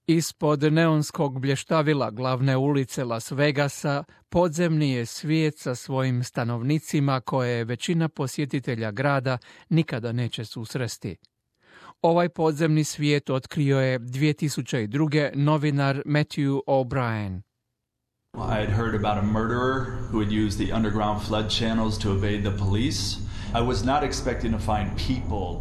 Ispod neonskog blještavila glavne ulice Las Vegasa podzemni je svijet sa svojim stanovnicima koje većina posjetitelja grada nikada neće susresti. Ovaj podzemni svijet otkrio je 2002. novinar Matthew O'Brien. I had heard about a murderer who would use the underground flood channels to evade the police. I was not expecting to find people,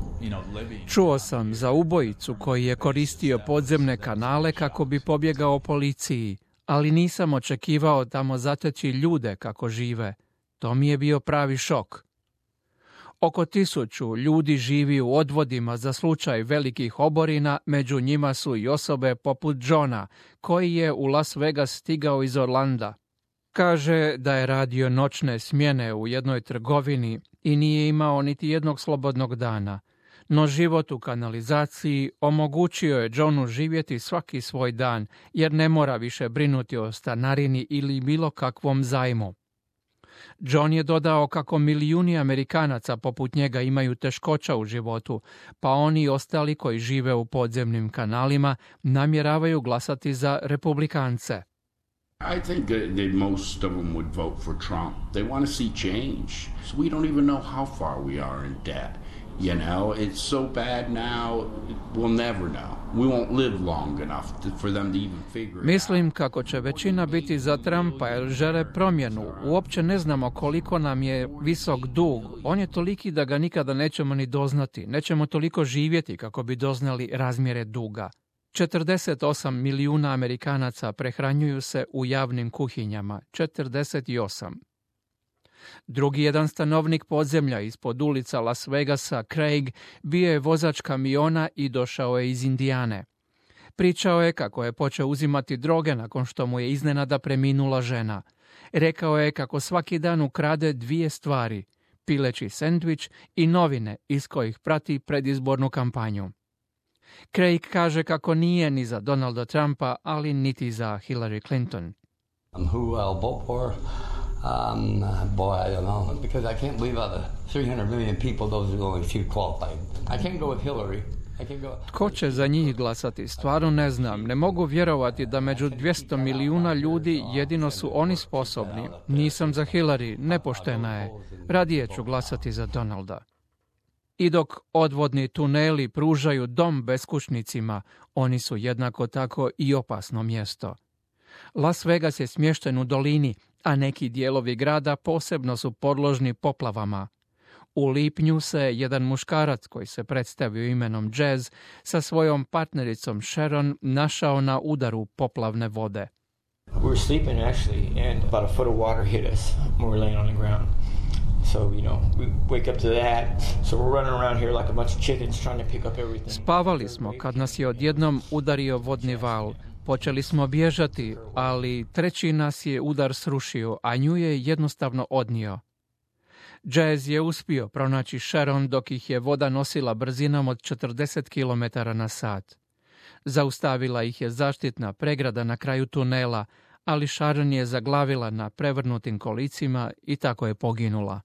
living. Čuo sam za ubojicu koji je koristio podzemne kanale kako bi pobjegao policiji, ali nisam očekivao tamo zateći ljude kako žive. To mi je bio pravi šok. Oko 1000 ljudi živi u odvodima za slučaj velikih oborina, među njima su i osobe poput Johna, koji je u Las Vegas stigao iz Orlanda. Kaže da je radio noćne smjene u jednoj trgovini i nije imao niti jednog slobodnog dana, no život u kanalizaciji omogućio je Johnu živjeti svaki svoj dan, jer ne mora više brinuti o stanarini ili bilo kakvom zajmu. John je dodao kako milijuni Amerikanaca poput njega imaju teškoća u životu, pa oni i ostali koji žive u podzemnim kanalima namjeravaju glasati za Republikance. I think that most of them would vote for Trump. They want to see change. So we don't even know how far we are in debt. It's so bad now, we'll never know. We won't live long enough for them to even figure it out. Mislim kako će većina biti za Trumpa jer žele promjenu. Uopće ne znamo koliko nam je visok dug. On je toliki da ga nikada nećemo ni doznati. Nećemo toliko živjeti kako bi doznali razmjere duga. 48 milijuna Amerikanaca prehranjuju se u javnim kuhinjama. 48. Drugi jedan stanovnik podzemlja ispod ulica Las Vegasa, Craig, bio je vozač kamiona i došao je iz Indijane. Pričao je kako je počeo uzimati droge nakon što mu je iznenada preminula žena. Rekao je kako svaki dan ukrade 2 stvari, pileći sendvič i novine iz kojih prati predizbornu kampanju. Craig kaže kako nije ni za Donalda Trumpa, ali niti za Hillary Clinton. Who I'll vote for? Boy, I don't know, because I can't believe out of 300 million people, those are only few qualified. I can't go with Hillary. Tko će za njih glasati? Stvarno ne znam. Ne mogu vjerovati da među 200 milijuna ljudi jedino su oni sposobni. Nisam za Hillary, nepoštena je. Radije ću glasati za Donalda. I dok odvodni tuneli pružaju dom beskućnicima, oni su jednako tako i opasno mjesto. Las Vegas je smješten u dolini, a neki dijelovi grada posebno su podložni poplavama. U lipnju se jedan muškarac koji se predstavio imenom Jazz sa svojom partnericom Sharon našao na udaru poplavne vode. We were sleeping actually and about a foot of water hit us when we were laying on the ground. So, we wake up to that. So we're running around here like a bunch of chickens trying to pick up everything. Spavali smo kad nas je odjednom udario vodni val. Počeli smo bježati, ali treći nas je udar srušio, a nju je jednostavno odnio. Jazz je uspio pronaći Sharon dok ih je voda nosila brzinom od 40 km na sat. Zaustavila ih je zaštitna pregrada na kraju tunela, ali Sharon je zaglavila na prevrnutim kolicima i tako je poginula.